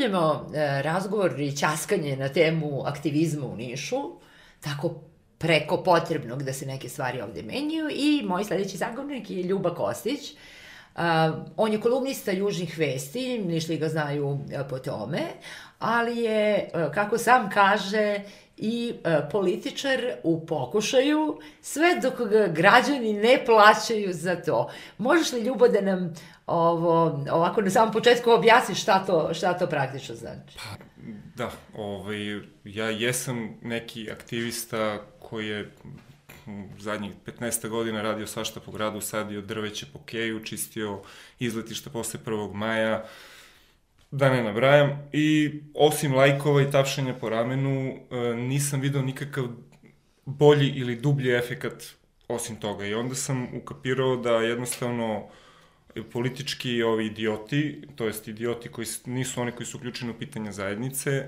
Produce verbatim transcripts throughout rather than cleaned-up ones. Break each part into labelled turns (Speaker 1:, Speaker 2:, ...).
Speaker 1: nastavljamo e, razgovor i ćaskanje na temu aktivizma u Nišu, tako preko potrebnog da se neke stvari ovde menjaju, i moj sledeći sagovornik je Ljuba Kostić. Uh, on je kolumnista Južnih vesti, Nišli ga znaju uh, po tome, ali je, uh, kako sam kaže, i uh, političar u pokušaju, sve dok ga građani ne plaćaju za to. Možeš li, Ljubo, da nam ovo, ovako na samom početku objasniš šta to, šta to praktično znači?
Speaker 2: Pa, da, ovaj, ja jesam neki aktivista koji je zadnjih petnaest godina radio svašta po gradu, sadio drveće po keju, čistio izletišta posle prvog maja, da ne nabrajam. I osim lajkova i tapšanja po ramenu, nisam video nikakav bolji ili dublji efekat osim toga. I onda sam ukapirao da jednostavno politički ovi idioti, to jest idioti koji nisu oni koji su uključeni u pitanja zajednice,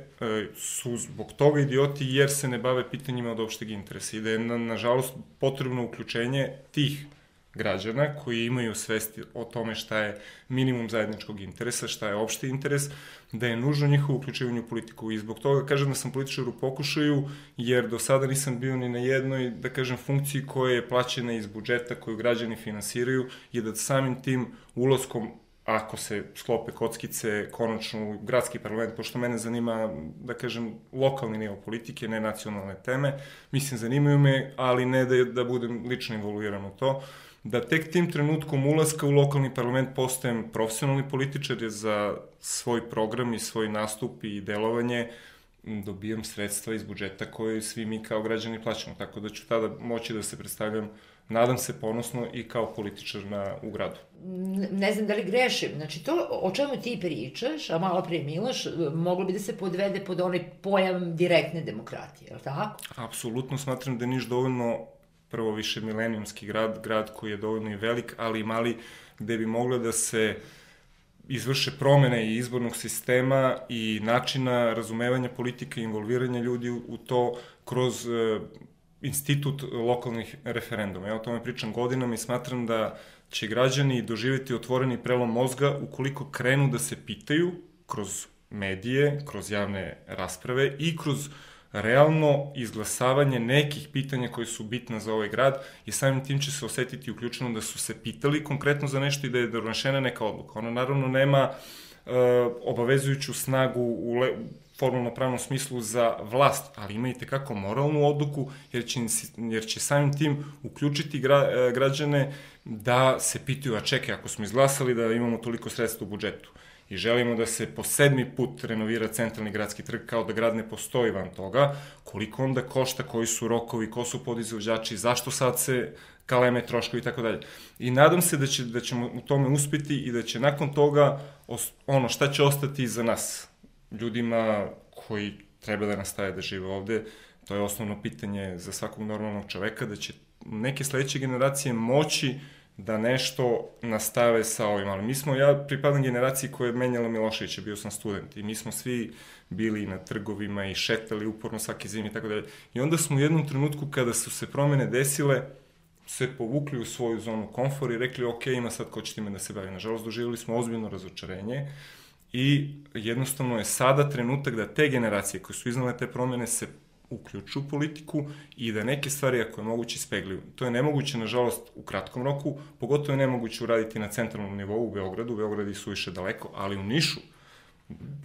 Speaker 2: su zbog toga idioti jer se ne bave pitanjima od opšteg interesa. I da je, na, nažalost, potrebno uključenje tih građana koji imaju svesti o tome šta je minimum zajedničkog interesa, šta je opšti interes, da je nužno njihovo uključivanje u politiku. I zbog toga kažem da sam političar u pokušaju, jer do sada nisam bio ni na jednoj, da kažem, funkciji koja je plaćena iz budžeta, koju građani finansiraju, i da samim tim ulaskom, ako se sklope kockice, konačno u gradski parlament, pošto mene zanima, da kažem, lokalni nivo politike, ne nacionalne teme, mislim, zanimaju me, ali ne da, da budem lično involuiran u to, da tek tim trenutkom ulaska u lokalni parlament postajem profesionalni političar, jer za svoj program i svoj nastup i delovanje dobijam sredstva iz budžeta koje svi mi kao građani plaćamo, tako da ću tada moći da se predstavljam, nadam se, ponosno i kao političar na, u gradu.
Speaker 1: Ne znam da li grešim, znači to o čemu ti pričaš, a malo pre Miloš, moglo bi da se podvede pod onaj pojam direktne demokratije, je li tako?
Speaker 2: Apsolutno smatram da je Niš dovoljno, prvo, više milenijumski grad, grad koji je dovoljno i velik, ali i mali, gde bi mogla da se izvrše promene i izbornog sistema i načina razumevanja politike i involviranja ljudi u to kroz e, institut lokalnih referenduma. Ja o tome pričam godinama i smatram da će građani doživjeti otvoreni prelom mozga ukoliko krenu da se pitaju kroz medije, kroz javne rasprave i kroz realno izglasavanje nekih pitanja koji su bitna za ovaj grad, i samim tim će se osetiti uključeno da su se pitali konkretno za nešto i da je donešena neka odluka. Ona naravno nema e, obavezujuću snagu u le, formalno pravnom smislu za vlast, ali ima i tekako moralnu odluku, jer će, jer će samim tim uključiti gra, građane da se pitaju, a čekaj, ako smo izglasali da imamo toliko sredstva u budžetu i želimo da se po sedmi put renovira centralni gradski trg, kao da grad ne postoji van toga, koliko onda košta, koji su rokovi, ko su podizvođači, zašto sad se kaleme troškovi i tako dalje. I nadam se da, će, da ćemo u tome uspeti i da će nakon toga ono šta će ostati za nas, ljudima koji treba da nastave da žive ovde, to je osnovno pitanje za svakog normalnog čoveka, da će neke sledeće generacije moći da nešto nastave sa ovim. Ali mi smo, ja pripadam generaciji koja je menjala Miloševića, bio sam student i mi smo svi bili na trgovima i šetali uporno svake zime i tako dalje. I onda smo u jednom trenutku kada su se promene desile, se povukli u svoju zonu komfora i rekli, ok, ima sad ko će time da se bavi. Nažalost, doživjeli smo ozbiljno razočarenje i jednostavno je sada trenutak da te generacije koje su iznale te promene se uključu u politiku i da neke stvari, ako je moguće, ispegljuju. To je nemoguće, nažalost, u kratkom roku, pogotovo je nemoguće uraditi na centralnom nivou u Beogradu, u Beogradu su više daleko, ali u Nišu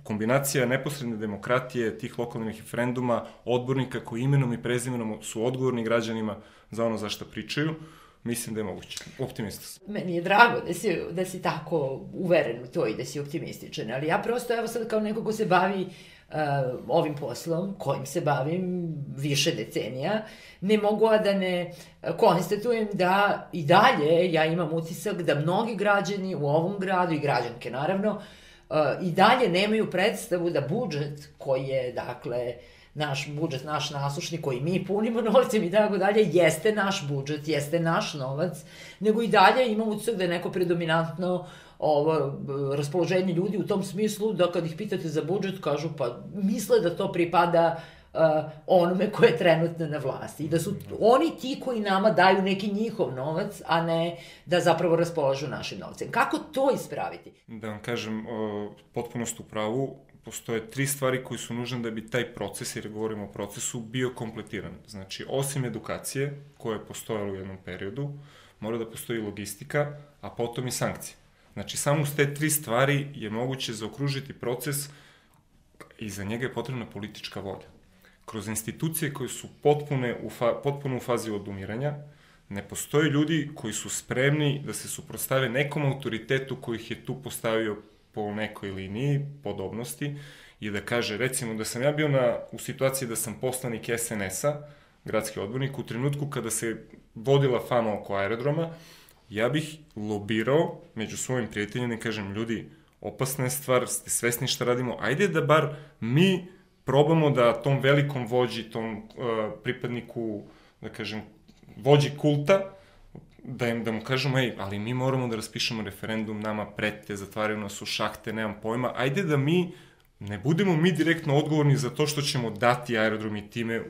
Speaker 2: kombinacija neposredne demokratije, tih lokalnih referenduma, odbornika koji imenom i prezimenom su odgovorni građanima za ono za što pričaju, mislim da je moguće. Optimista sam.
Speaker 1: Meni je drago da si, da si tako uveren u to i da si optimističan, ali ja prosto, evo sad kao neko ko se bavi Uh, ovim poslom, kojim se bavim više decenija, ne mogu a da ne konstatujem da i dalje ja imam utisak da mnogi građani u ovom gradu i građanke naravno uh, i dalje nemaju predstavu da budžet koji je, dakle, naš budžet, naš nasušni, koji mi punimo novcem i tako dalje, jeste naš budžet, jeste naš novac, nego i dalje imam utisak da je neko predominantno ovo raspoloženje ljudi u tom smislu da kad ih pitate za budžet kažu pa misle da to pripada uh, onome ko je trenutno na vlasti i da su oni ti koji nama daju neki njihov novac, a ne da zapravo raspolažu našim novcem. Kako to ispraviti?
Speaker 2: Da vam kažem, uh, potpuno ste u pravu. postoje tri stvari koje su nužne da bi taj proces, jer govorimo o procesu, bio kompletiran. Znači, osim edukacije, koja je postojala u jednom periodu, mora da postoji logistika, a potom i sankcije. Znači, samo s te tri stvari je moguće zaokružiti proces i za njega je potrebna politička volja. Kroz institucije koje su potpune u fa, potpuno u fazi odumiranja, ne postoje ljudi koji su spremni da se suprotstave nekom autoritetu koji ih je tu postavio po nekoj liniji podobnosti i da kaže, recimo, da sam ja bio na, u situaciji da sam poslanik es en es-a, gradski odbornik, u trenutku kada se vodila fama oko aerodroma, ja bih lobirao među svojim prijateljima i kažem, ljudi, opasna je stvar, ste svesni šta radimo, ajde da bar mi probamo da tom velikom vođi, tom uh, pripadniku, da kažem, vođi kulta, da im da mu kažemo, ej, ali mi moramo da raspišemo referendum, nama prete, zatvaraju nas u šahte, nemam pojma, ajde da mi ne budemo mi direktno odgovorni za to što ćemo dati aerodrom i time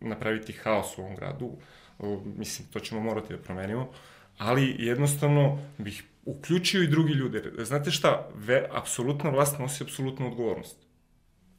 Speaker 2: napraviti haos u ovom gradu, uh, mislim, to ćemo morati da promenimo, ali jednostavno bih uključio i drugi ljude. Znate šta, ve, apsolutna vlast nosi apsolutnu odgovornost.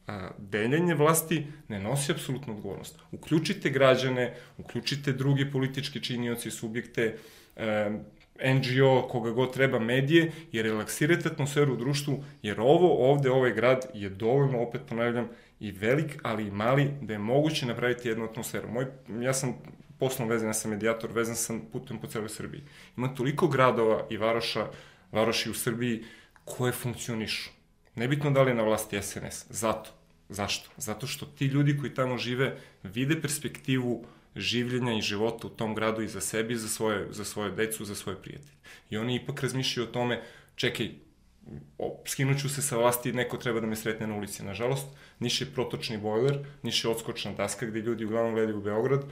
Speaker 2: A, deljenje vlasti ne nosi apsolutnu odgovornost. Uključite građane, uključite druge političke činioci, subjekte, e, en dži o, koga god treba, medije, jer relaksirate atmosferu u društvu, jer ovo ovde, ovaj grad je dovoljno, opet ponavljam, i velik, ali i mali, da je moguće napraviti jednu atmosferu. Moj, ja sam poslom vezan, ja sam medijator, vezan sam putem po celoj Srbiji. Ima toliko gradova i varoša, varoši u Srbiji koje funkcionišu. Nebitno da li je na vlasti es en es. Zato. Zašto? Zato što ti ljudi koji tamo žive vide perspektivu življenja i života u tom gradu i za sebi, i za svoje, za svoje decu, za svoje prijatelje. I oni ipak razmišljaju o tome, čekaj, skinuću se sa vlasti, neko treba da me sretne na ulici. Nažalost, Niš je protočni bojler, Niš je odskočna daska gde ljudi uglavnom gledaju u Beograd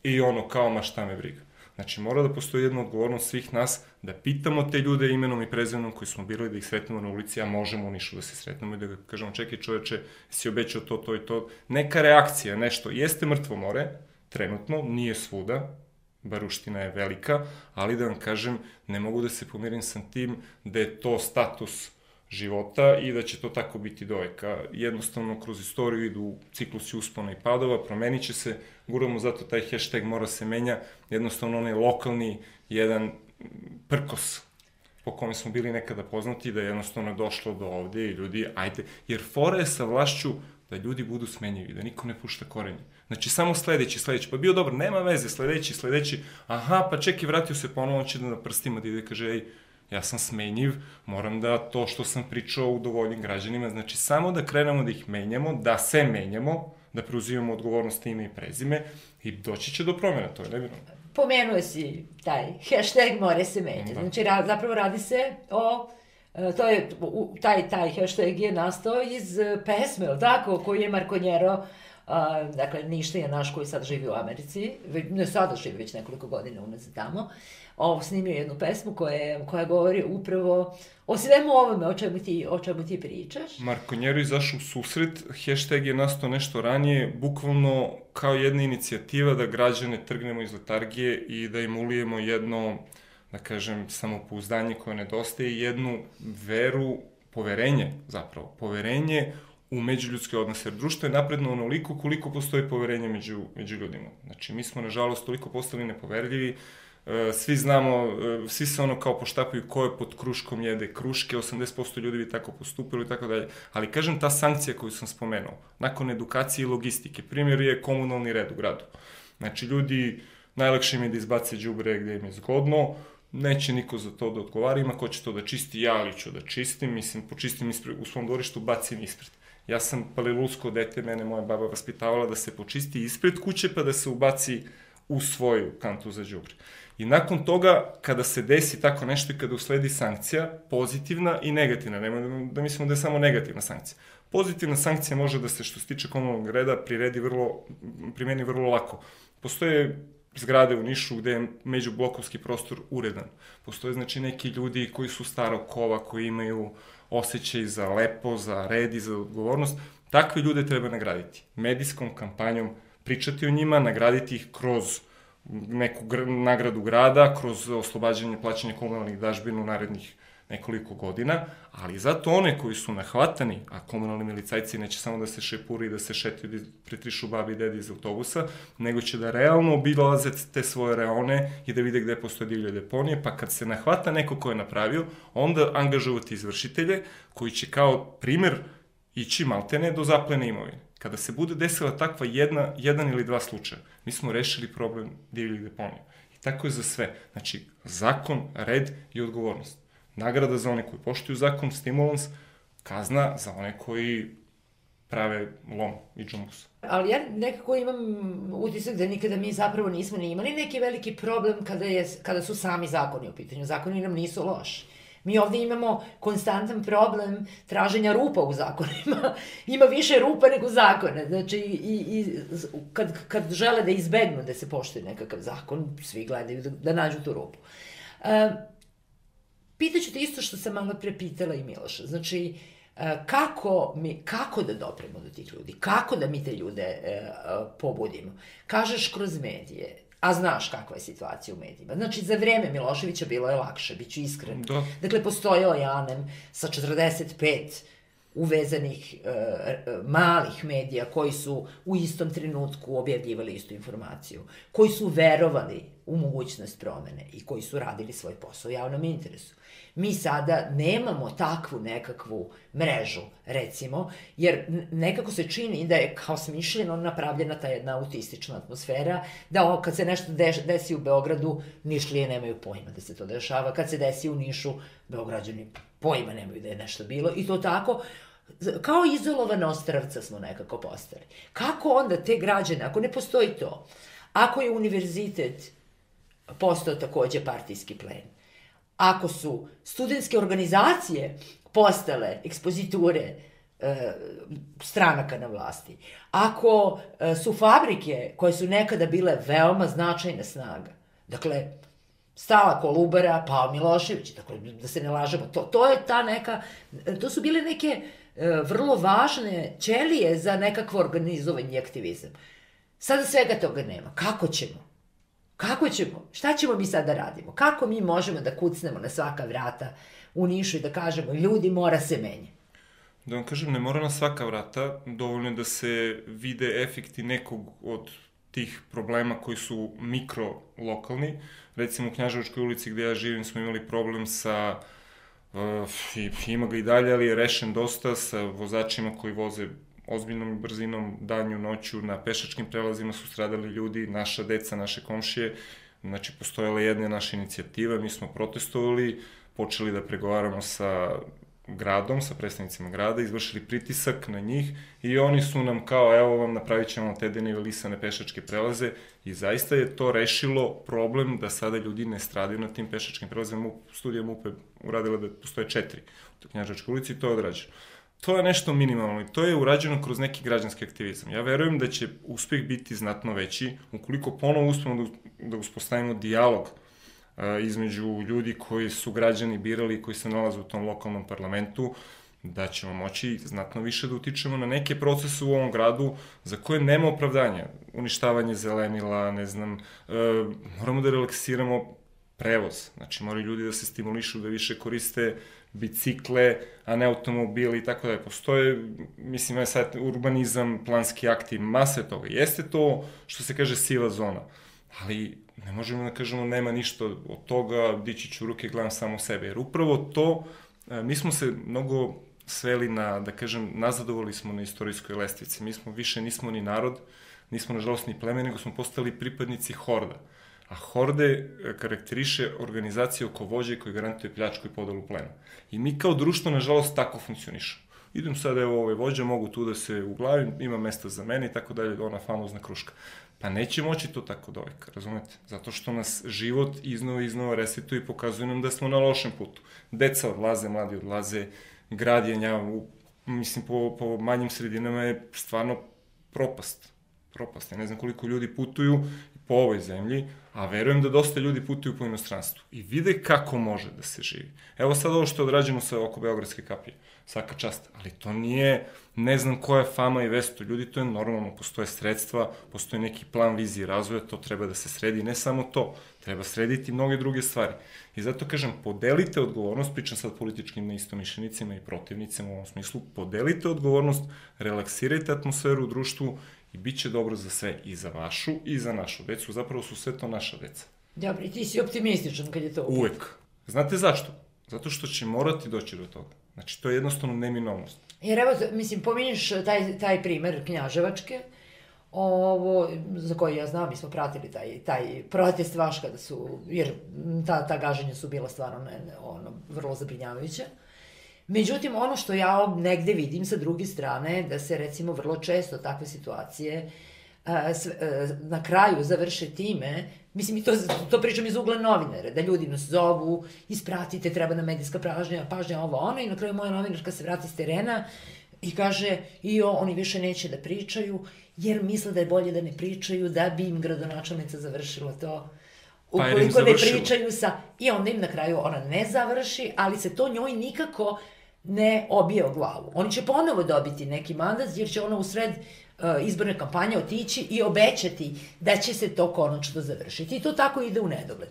Speaker 2: i ono kao, ma šta me briga. Znači, mora da postoji jedna odgovornost svih nas da pitamo te ljude imenom i prezimenom koji smo birali, da ih sretnemo na ulici, a možemo u Nišu da se sretnemo i da ga kažemo, čekaj čoveče, si obećao to, to i to. Neka reakcija, nešto, jeste mrtvo more, trenutno, nije svuda, Baruština je velika, ali da vam kažem, ne mogu da se pomirim sa tim da je to status života i da će to tako biti doveka. Jednostavno, kroz istoriju idu ciklusi uspona i padova, promenit će se, guramo zato taj hashtag mora se menja, jednostavno onaj lokalni, jedan prkos po kome smo bili nekada poznati, da je jednostavno došlo do ovde i ljudi, ajde, jer fora je sa vlašću da ljudi budu smenjivi, da niko ne pušta korenje. Znači, samo sledeći, sledeći, pa bio dobar, nema veze, sledeći, sledeći, aha, pa čekaj, vratio se ponovo, će da na prstima da ide, kaže, ej, ja sam smenjiv, moram da to što sam pričao udovoljim građanima, znači samo da krenemo da ih menjamo, da se menjamo, da preuzimamo odgovornost ime i prezime i doći će do promjena, to je nevinovno.
Speaker 1: Pomenuo si taj hashtag more se menja, da. Znači ra, zapravo radi se o, to je, taj, taj hashtag je nastao iz pesme, ili tako, koju je Markonjero, Uh, dakle, Ništa je naš koji sad živi u Americi, ne sada živi već nekoliko godina unazad tamo, ovo, snimio jednu pesmu koja, koja govori upravo o svemu ovome o čemu ti, o čemu ti pričaš.
Speaker 2: Markonjero izašao u susret, hashtag je nastao nešto ranije, bukvalno kao jedna inicijativa da građane trgnemo iz letargije i da im ulijemo jedno, da kažem, samopouzdanje koje nedostaje i jednu veru, poverenje zapravo, poverenje u međuljudske odnose, jer društvo je napredno onoliko koliko postoji poverenje među, među ljudima. Znači, mi smo, nažalost, toliko postali nepoverljivi, svi znamo, svi se ono kao poštapaju ko je pod kruškom jede kruške, osamdeset posto ljudi bi tako postupilo i tako dalje. Ali, kažem, ta sankcija koju sam spomenuo, nakon edukacije i logistike, primjer je komunalni red u gradu. Znači, ljudi, najlakše im je da izbace đubre gde im je zgodno, neće niko za to da odgovara, ima ko će to da čisti, ja ali ću da čistim, mislim, počistim ispred, u svom dvorištu, bacim ispred. Ja sam palilulsko dete, mene moja baba vaspitavala da se počisti ispred kuće pa da se ubaci u svoju kantu za đubre. I nakon toga, kada se desi tako nešto i kada usledi sankcija, pozitivna i negativna, nemoj da mislimo da je samo negativna sankcija. Pozitivna sankcija može da se, što se tiče komunalnog reda, priredi vrlo, primeni vrlo lako. Postoje zgrade u Nišu gde je međublokovski prostor uredan. Postoje, znači, neki ljudi koji su starog kova, koji imaju osjećaj za lepo, za red i za odgovornost. Takve ljude treba nagraditi. Medijskom kampanjom pričati o njima, nagraditi ih kroz neku gr nagradu grada, kroz oslobađanje plaćanja komunalnih dažbina u narednih nekoliko godina, ali zato one koji su nahvatani, a komunalni milicajci neće samo da se šepuri i da se šetaju, da pretrišu babi i dedi iz autobusa, nego će da realno obilaze te svoje reone i da vide gde postoje divlje deponije, pa kad se nahvata neko ko je napravio, onda angažovati izvršitelje koji će kao primer ići maltene do zaplene imovine. Kada se bude desila takva jedna, jedan ili dva slučaja, mi smo rešili problem divljih deponija. I tako je za sve. Znači, zakon, red i odgovornost. Nagrada za one koji poštuju zakon, stimulans, kazna za one koji prave lom i džumbus.
Speaker 1: Ali ja nekako imam utisak da nikada mi zapravo nismo ni imali neki veliki problem kada, je, kada su sami zakoni u pitanju. Zakoni nam nisu loši. Mi ovde imamo konstantan problem traženja rupa u zakonima. Ima više rupa nego zakona. Znači, i, i kad, kad žele da izbegnu da se poštuje nekakav zakon, svi gledaju da, da nađu tu rupu. E, pitaću te isto što sam malo pre pitala i Miloša. Znači, e, kako, mi, kako da dopremo do tih ljudi? Kako da mi te ljude e, pobudimo? Kažeš kroz medije. A znaš kakva je situacija u medijima. Znači, za vreme Miloševića bilo je lakše, bit ću iskren. Da. Dakle, postojao je Anem sa četrdeset pet uvezanih e, malih medija koji su u istom trenutku objavljivali istu informaciju, koji su verovali u mogućnost promene i koji su radili svoj posao u javnom interesu. Mi sada nemamo takvu nekakvu mrežu, recimo, jer nekako se čini da je kao smišljeno napravljena ta jedna autistična atmosfera, da o, kad se nešto desi u Beogradu, Nišlije nemaju pojma da se to dešava, kad se desi u Nišu, Beograđani pojma nemaju da je nešto bilo, i to tako, kao izolovana ostrvca smo nekako postali. Kako onda te građane, ako ne postoji to, ako je univerzitet postao takođe partijski plen, ako su studentske organizacije postale ekspoziture e, stranaka na vlasti, ako e, su fabrike koje su nekada bile veoma značajna snaga, dakle, stala Kolubara, pao Milošević, dakle, da se ne lažemo, to, to je ta neka, to su bile neke e, vrlo važne ćelije za nekakvo organizovanje i aktivizam. Sada svega toga nema. Kako ćemo? Kako ćemo? Šta ćemo mi sad da radimo? Kako mi možemo da kucnemo na svaka vrata u Nišu i da kažemo, ljudi, mora se menja?
Speaker 2: Da vam kažem, ne mora na svaka vrata, dovoljno je da se vide efekti nekog od tih problema koji su mikro-lokalni. Recimo u Knjaževačkoj ulici gde ja živim smo imali problem sa, uh, ima ga i dalje, ali je rešen dosta, sa vozačima koji voze ozbiljnom brzinom, danju, noću, na pešačkim prelazima su stradali ljudi, naša deca, naše komšije. Znači, postojala jedna naša inicijativa, mi smo protestovali, počeli da pregovaramo sa gradom, sa predstavnicima grada, izvršili pritisak na njih i oni su nam kao, evo vam, napravit ćemo te denivelisane pešačke prelaze i zaista je to rešilo problem da sada ljudi ne stradaju na tim pešačkim prelazima. Studija M U P E uradila da postoje četiri u Knjaževačkoj ulici i to je odrađeno. To je nešto minimalno i to je urađeno kroz neki građanski aktivizam. Ja verujem da će uspeh biti znatno veći ukoliko ponovo uspemo da, da uspostavimo dijalog a, između ljudi koji su građani birali i koji se nalaze u tom lokalnom parlamentu, da ćemo moći znatno više da utičemo na neke procese u ovom gradu za koje nema opravdanja. Uništavanje zelenila, ne znam, e, moramo da relaksiramo prevoz. Znači, moraju ljudi da se stimulišu, da više koriste bicikle, a ne automobili i tako da. Postoje, mislim, sad urbanizam, planski akti, mase toga. Jeste to, što se kaže, siva zona, ali ne možemo da kažemo nema ništa od toga, dići ću ruke, gledam samo sebe. Jer upravo to, mi smo se mnogo sveli na, da kažem, nazadovali smo na istorijskoj lestvici. Mi smo više nismo ni narod, nismo nažalost ni pleme, nego smo postali pripadnici horda. A horde karakteriše organizacije oko vođe koji garantuje pljačku i podelu plena. I mi kao društvo, nažalost, tako funkcionišemo. Idem sad, evo, ove vođe, mogu tu da se uglavim, ima mesta za mene i tako dalje, ona famozna kruška. Pa neće moći to tako doveka, razumete? Zato što nas život iznova i iznova resetuje i pokazuje nam da smo na lošem putu. Deca odlaze, mladi odlaze, grad je nja, mislim, po, po manjim sredinama je stvarno propast. Propast. Ja ne znam koliko ljudi putuju, po ovoj zemlji, a verujem da dosta ljudi putuju po inostranstvu i vide kako može da se živi. Evo sad ovo što je odrađeno sa oko Beogradske kapije, svaka čast, ali to nije, ne znam koja je fama i vesto, ljudi, to je normalno, postoje sredstva, postoji neki plan vizije razvoja, to treba da se sredi, ne samo to, treba srediti mnoge druge stvari. I zato kažem, podelite odgovornost, pričam sad političkim neistomišljenicima i protivnicima u ovom smislu, podelite odgovornost, relaksirajte atmosferu u društvu i bit će dobro za sve, i za vašu i za našu decu, zapravo su sve to naša deca.
Speaker 1: Dobro, i ti si optimističan kad je to uvijek.
Speaker 2: Uvek. Znate zašto? Zato što će morati doći do toga. Znači, to je jednostavno neminovnost.
Speaker 1: Jer evo, mislim, pominješ taj, taj primer Knjaževačke, ovo, za koji ja znam, mi smo pratili taj, taj protest vaš kada su, jer ta, ta gaženja su bila stvarno ne, ono, vrlo zabrinjavajuća. Međutim, ono što ja negde vidim sa druge strane, da se recimo vrlo često takve situacije a, s, a, na kraju završe time, mislim i to, to pričam iz ugla novinara, da ljudi nas zovu, ispratite, treba nam medijska pažnja, pažnja ovo ono, i na kraju moja novinarka se vrati s terena i kaže, i o, oni više neće da pričaju, jer misle da je bolje da ne pričaju, da bi im gradonačelnica završila to. Ukoliko ne pričaju sa... I onda im na kraju ona ne završi, ali se to njoj nikako ne obije o glavu. Oni će ponovo dobiti neki mandat, jer će ona u sred uh, izborne kampanje otići i obećati da će se to konačno završiti. I to tako ide u nedogled.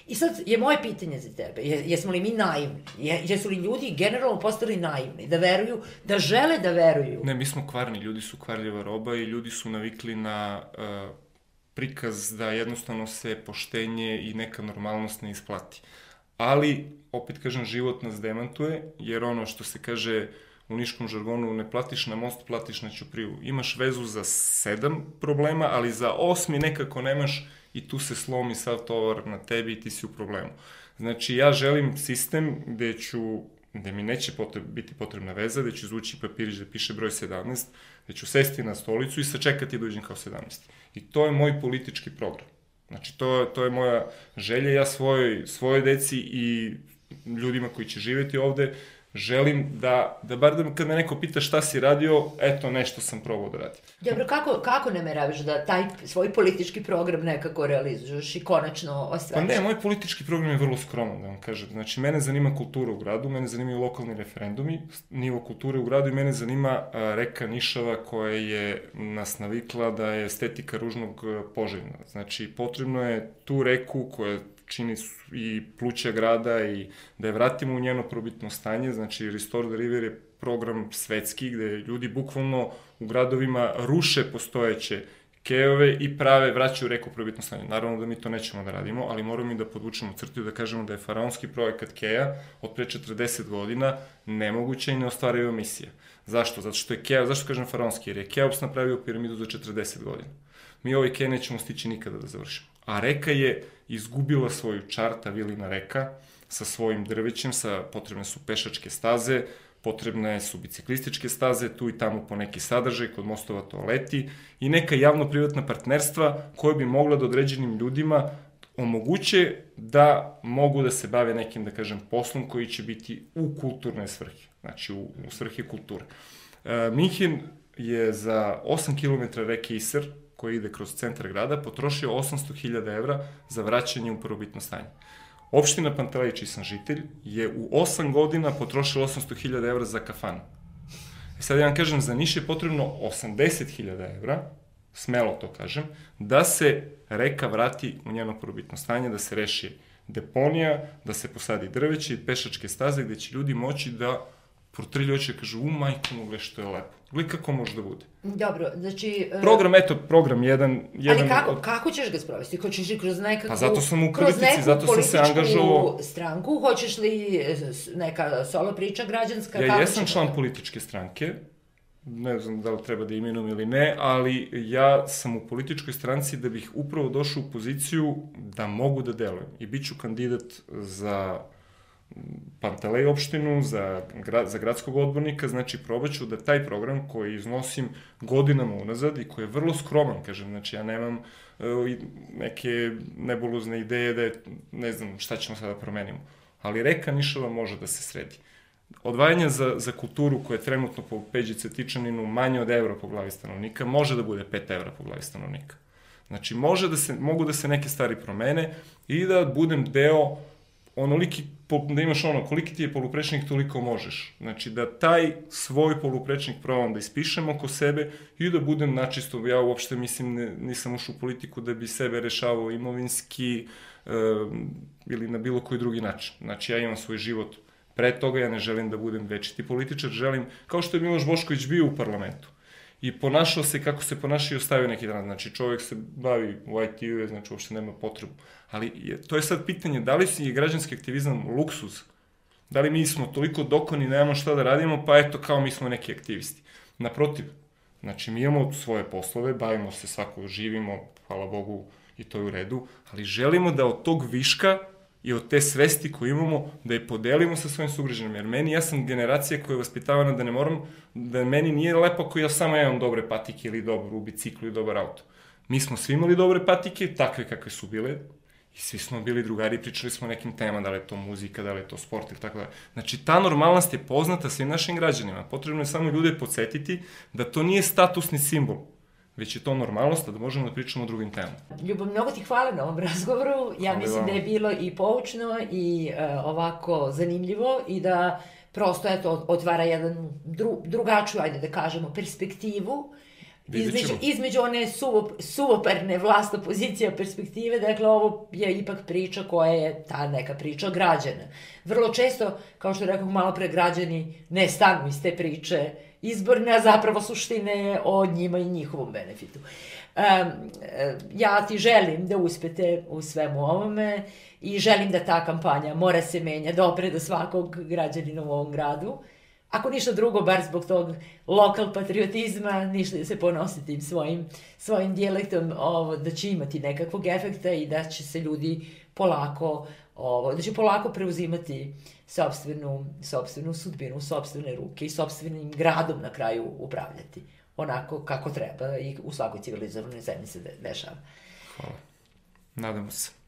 Speaker 1: I sad je moje pitanje za tebe, jesmo li mi naivni? Jesu li ljudi generalno postali naivni, da veruju, da žele da veruju?
Speaker 2: Ne, mi smo kvarni, ljudi su kvarljiva roba i ljudi su navikli na uh, prikaz da jednostavno se poštenje i neka normalnost ne isplati. Ali, opet kažem, život nas demantuje, jer ono što se kaže u niškom žargonu, ne platiš na most, platiš na ćupriju. Imaš vezu za sedam problema, ali za osmi nekako nemaš i tu se slomi sav tovar na tebi i ti si u problemu. Znači, ja želim sistem gde ću, gde mi neće potreb, biti potrebna veza, gde ću izvući papirić da piše broj sedamnaest, gde ću sesti na stolicu i sačekati da uđem kao sedamnaesti. I to je moj politički program. Znači, to, to je moja želja. Ja svojoj, svojoj deci i ljudima koji će živjeti ovde želim da, da bar da kad me neko pita šta si radio, eto, nešto sam probao da radim.
Speaker 1: Dobro, kako, kako nameraviš da taj svoj politički program nekako realizuješ i konačno ostvariš?
Speaker 2: Pa ne, moj politički program je vrlo skroman, da vam kažem. Znači, mene zanima kultura u gradu, mene zanimaju lokalni referendumi, nivo kulture u gradu i mene zanima a, reka Nišava koja je nas navikla da je estetika ružnog poželjna. Znači, potrebno je tu reku koja čini i pluća grada i da je vratimo u njeno probitno stanje. Znači, Restore the River je program svetski gde ljudi bukvalno u gradovima ruše postojeće kejove i prave, vraćaju reku u probitno stanje. Naravno da mi to nećemo da radimo, ali moramo i da podvučemo crtu i da kažemo da je faraonski projekat keja od pre četrdeset godina nemoguća i neostvariva misija. Zašto? Zato što je keja, zašto kažem faraonski? Jer je Keops napravio piramidu za četrdeset godina. Mi ovaj kej nećemo stići nikada da završimo. A reka je izgubila svoju čar, ta vilina reka, sa svojim drvećem, sa, potrebne su pešačke staze, potrebne su biciklističke staze, tu i tamo po neki sadržaj, kod mostova toaleti i neka javno-privatna partnerstva koje bi mogla da određenim ljudima omoguće da mogu da se bave nekim, da kažem, poslom koji će biti u kulturne svrhe, znači u, u svrhe kulture. E, Minhen je za osam kilometara reke Isar, koji ide kroz centar grada, potrošio osamsto hiljada evra za vraćanje u prvobitno stanje. Opština Pantelej, čiji sam žitelj, je u osam godina potrošila osamsto hiljada evra za kafanu. I sad ja vam kažem, za Niš je potrebno osamdeset hiljada evra, smelo to kažem, da se reka vrati u njeno prvobitno stanje, da se reši deponija, da se posadi drveće i pešačke staze gde će ljudi moći da protrlju oči i kažu, u majku mu, gle što je lepo. Gle kako može da bude.
Speaker 1: Dobro, znači...
Speaker 2: Program, eto, program jedan... jedan
Speaker 1: ali kako,
Speaker 2: od...
Speaker 1: kako ćeš ga sprovesti? Hoćeš li kroz nekakvu...
Speaker 2: Pa zato sam u politici, zato sam se angažovao...
Speaker 1: stranku? Hoćeš li neka solo priča građanska?
Speaker 2: Ja
Speaker 1: kako
Speaker 2: jesam član da... političke stranke, ne znam da li treba da imenujem ili ne, ali ja sam u političkoj stranci da bih upravo došao u poziciju da mogu da delujem. I bit ću kandidat za Pantelej opštinu, za, gra, za gradskog odbornika, znači probaću da taj program koji iznosim godinama unazad i koji je vrlo skroman, kažem, znači ja nemam uh, neke nebulozne ideje da je, ne znam šta ćemo sada promenimo, ali reka Nišava može da se sredi. Odvajanje za, za kulturu koje je trenutno po Peđi Cetičaninu manje od evra po glavi stanovnika, može da bude pet evra po glavi stanovnika. Znači, može da se, mogu da se neke stvari promene i da budem deo onoliki, da imaš ono, koliki ti je poluprečnik, toliko možeš. Znači, da taj svoj poluprečnik probam da ispišem oko sebe i da budem načisto. Ja uopšte mislim, ne, nisam ušao u politiku da bi sebe rešavao imovinski e, ili na bilo koji drugi način. Znači, ja imam svoj život pre toga, ja ne želim da budem večiti političar, želim, kao što je Miloš Bošković bio u parlamentu. I ponašao se kako se ponašao i ostavio neki dan. Znači, čovjek se bavi u I T-u, znači, uopšte nema potrebu. Ali je, to je sad pitanje, da li je građanski aktivizam luksuz? Da li mi smo toliko dokoni, nemamo šta da radimo, pa eto, kao mi smo neki aktivisti. Naprotiv, znači, mi imamo svoje poslove, bavimo se svako, živimo, hvala Bogu, i to je u redu, ali želimo da od tog viška i od te svesti koju imamo, da je podelimo sa svojim sugrađanima. Jer meni, ja sam generacija koja je vaspitavana da ne moram, da meni nije lepo ako ja samo imam dobre patike ili dobro u biciklu i dobar auto. Mi smo svi imali dobre patike, takve kakve su bile, i svi smo bili drugari i pričali smo o nekim temama, da li je to muzika, da li je to sport ili tako da. Znači, ta normalnost je poznata svim našim građanima. Potrebno je samo ljude podsjetiti da to nije statusni simbol, već je to normalnost, da možemo da pričamo o drugim temama.
Speaker 1: Ljubav, mnogo ti hvala na ovom razgovoru. Ja
Speaker 2: Hvala
Speaker 1: mislim
Speaker 2: vam.
Speaker 1: da je bilo i poučno i uh, ovako zanimljivo i da prosto eto, otvara jedan dru, drugačiju, ajde da kažemo, perspektivu između, između one suvo, suvoparne vlast opozicija perspektive. Dakle, ovo je ipak priča koja je ta neka priča građana. Vrlo često, kao što rekao malo pre, građani ne stanu iz te priče izborne, a zapravo suštine je o njima i njihovom benefitu. Um, ja ti želim da uspete u svemu ovome i želim da ta kampanja mora se menja, da opre do svakog građanina u ovom gradu. Ako ništa drugo, bar zbog tog lokal patriotizma, ništa da se ponosi tim svojim, svojim dijalektom, ovo, da će imati nekakvog efekta i da će se ljudi polako, ovo, da će polako preuzimati sopstvenu, sopstvenu sudbinu, sopstvene ruke i sopstvenim gradom na kraju upravljati. Onako kako treba i u svakoj civilizovanoj zemlji se dešava.
Speaker 2: Hvala. Nadamo se.